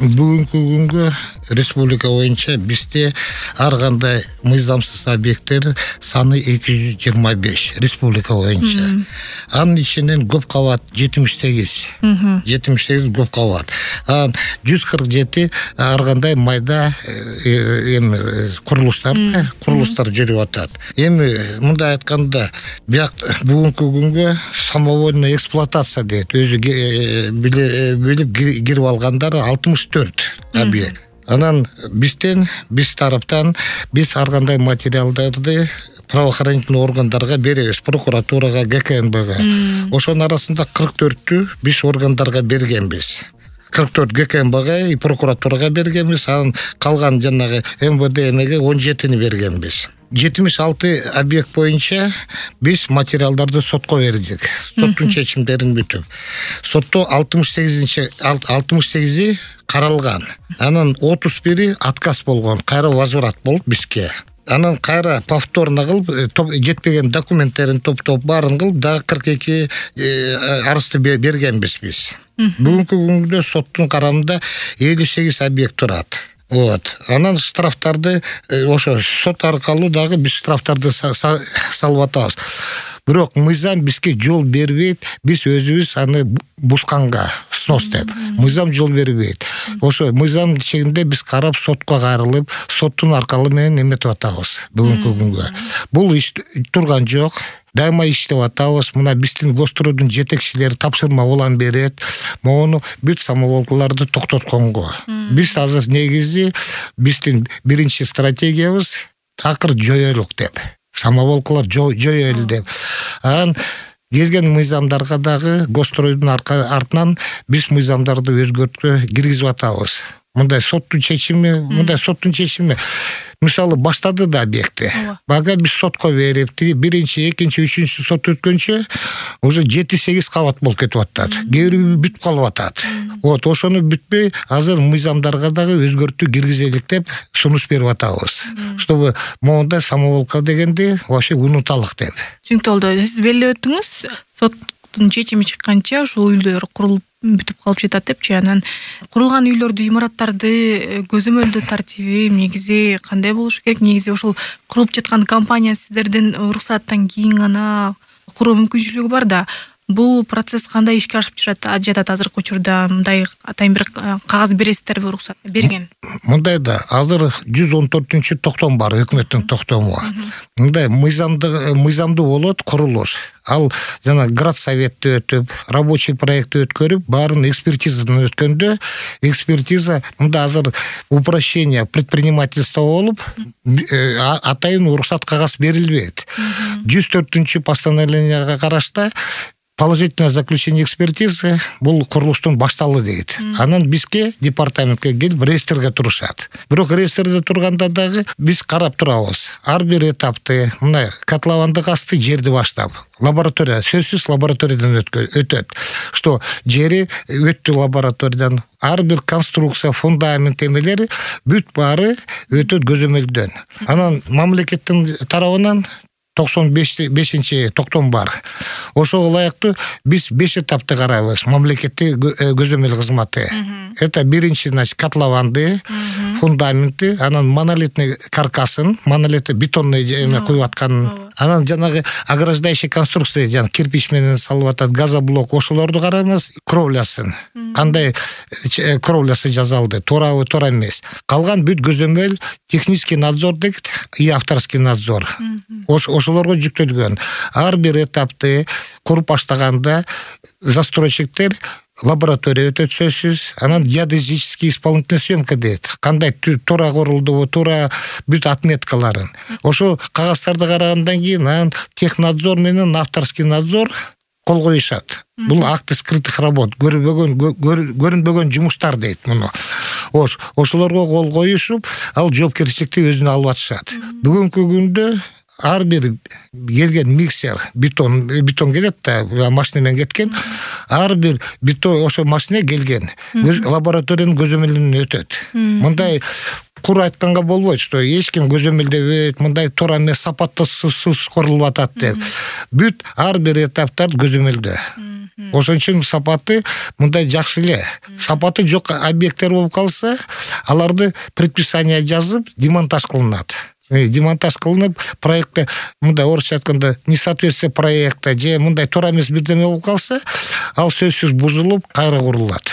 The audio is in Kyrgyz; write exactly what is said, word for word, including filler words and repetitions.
Бүгүнкү күнгө республика боюнча бизде ар кандай мыйзамсыз объекттер саны эки жүз жыйырма беш республика боюнча. Анын ичинен көп кабат жетимиш сегиз. жетимиш сегиз көп кабат. Анан жүз кырк жети ар кандай майда эми курулуштар, курулуштар жүрүп атат. Эми мындай айтканда, бияк бүгүнкү күнгө самовольный эксплуатация дейт. Өзү билип кирип алгандар алтымыш төрт объект. Анан бизден, биз тараптан биз ар кандай материалдарды правоохранительный органдарга беребиз, прокуратурага, ГКНБга. Ошонун арасында кырк төрттү биз органдарга бергенбиз. кырк төрт ГКНБга и прокуратурага бергенбиз, анан калган жанагы МВД эмеге он жетини бергенбиз. жетимиш алты объект боюнча биз материалдарды сотко бердик. Соттун чечимдерин бүтүп. Сотто алтымыш сегизинчи алтымыш сегизи каралган. Анан отуз бири отказ болгон, кайра возврат болуп бизге. Анан кайра повторно кылып, жетпеген документтерин топтоп баарын кылып, дагы кырк эки арызды бергенбиз биз. Бүгүнкү күндө соттун карамында элүү сегиз объект турат. Вот. Анан штрафтарды ошо сот аркылуу дагы биз штрафтарды салып атабыз. Бирок мыйзам бизге жол бербейт, биз өзүбүз аны бусканга снос деп. Мыйзам жол бербейт. Ошо мыйзам чегинде биз карап сотко кайрылып, соттун аркылуу менен эметип атабыз бүгүнкү күнгө. Бул иш турган жок. Дайыма иштеп атабыз. Мына биздин Гостройдун жетекчилери тапшырма улам берет. Мону бүт самоволкаларды токтотконго. Биз азыр негизи биздин биринчи стратегиябыз такыр жоёлук деп. Самоволкалар жоёлу деп. Анан келген мыйзамдарга дагы Гостройдун артынан биз мыйзамдарды өзгөрткө киргизип атабыз. Мындай соттун чечими, мындай соттун чечими мисалы баштады да объектти. Бага биз сотко берип, биринчи, экинчи, үчүнчү сот өткөнчө уже жети сегиз кабат болуп кетип атат. Кээ бири бүтүп калып атат. Вот, ошону бүтпөй азыр мыйзамдарга дагы өзгөртүү киргизелик деп сунуш берип атабыз. Чтобы моундай самоволка дегенди вообще унуталык деп. Түшүнүктүү. Сиз белгилеп өттүңүз, соттун чечими чыкканча ушул үйлөр курулуп бүтүп калып жатат депчи. Анан курулган үйлөрдү, имараттарды көзөмөлдөө тартиби негизи кандай болуш керек? Негизи ушул куруп жаткан компания сиздердин уруксаттан кийин гана куруу мүмкүнчүлүгү бар да, бул процесс кандай ишке ашып жатат азыркы учурда? Мындай атайын бир кагаз бересиздерби, уруксат берген? Мындай да, азыр жүз он төртүнчү токтом бар, өкмөттүн токтому. Мындай мыйзамды мыйзамдуу болот курулуш. Ал жана градсоветти өтүп, рабочий проектти өткөрүп, баарын экспертизадан өткөндө, экспертиза мында азыр упрощение предпринимательства болуп, атайын уруксат кагаз берилбейт. жүз төртүнчү постановленияга карашта положительное заключение экспертизы бул курулуштун башталды дейт. Анан бизге департаментке келип реестрге турушат. Бирок реестрде турганда дагы биз карап турабыз. Ар бир этапты, мына котловандык асты жерди баштап, лаборатория, сөзсүз лабораториядан өтөт. Что жери өттү лабораториядан, ар бир конструкция, фундамент эмелери бүт баары өтөт көзөмөлдөн. Анан мамлекеттин тарабынан токсон бешинчи токтом бар. Ошого ылайыктуу биз беш этапты карайбыз. Мамлекеттик көзөмөл кызматы. Это биринчи, значит, котлованды, фундаменти, анан монолитный каркасын, монолитный бетонный эме коюп атканын, анан жанагы ограждающий конструкция, жана кирпич менен салып атат, газоблок, ошолорду карайбыз, кровлясын. Кандай кровлясы жасалды, туурабы, туура эмес. Калган бүт көзөмөл технический надзор дейт, и авторский надзор. Ошолорго жүктөлгөн. Ар бир этапты куруп баштаганда застройщиктер лаборатория өтөт сөзсүз, анан геодезический исполнительная съемка дейт. Кандай туура курулду, туура бүт отметкаларын. Ошо кагаздарды карагандан кийин анан технадзор менен авторский надзор кол коюшат. Бул акты скрытых работ, көрүнбөгөн көрүнбөгөн жумуштар дейт муну. Ош, ошолорго кол коюшуп, ал жоопкерчиликти өзүнө алып атышат. Бүгүнкү күндө ар бир келген миксер, бетон, бетон келет да, машина менен кеткен, ар бир бетон ошо машина келген, лабораториянын көзөмөлүнөн өтөт. Мындай кур айтканга болбойт, что эч ким көзөмөлдөбөйт, мындай туура эмес сапаттуу сус курулуп атат деп. Бүт ар бир этаптар көзөмөлдө. Ошон үчүн сапаты мындай жакшы эле. Сапаты жок объекттер болуп калса, аларды предписание жазып демонтаж кылынат. Демонтаж кылынып, проектте мындай орусча айтканда несоответствие проекта же мындай туура эмес бирдеме болуп калса, ал сөзсүз бузулуп, кайра курулат.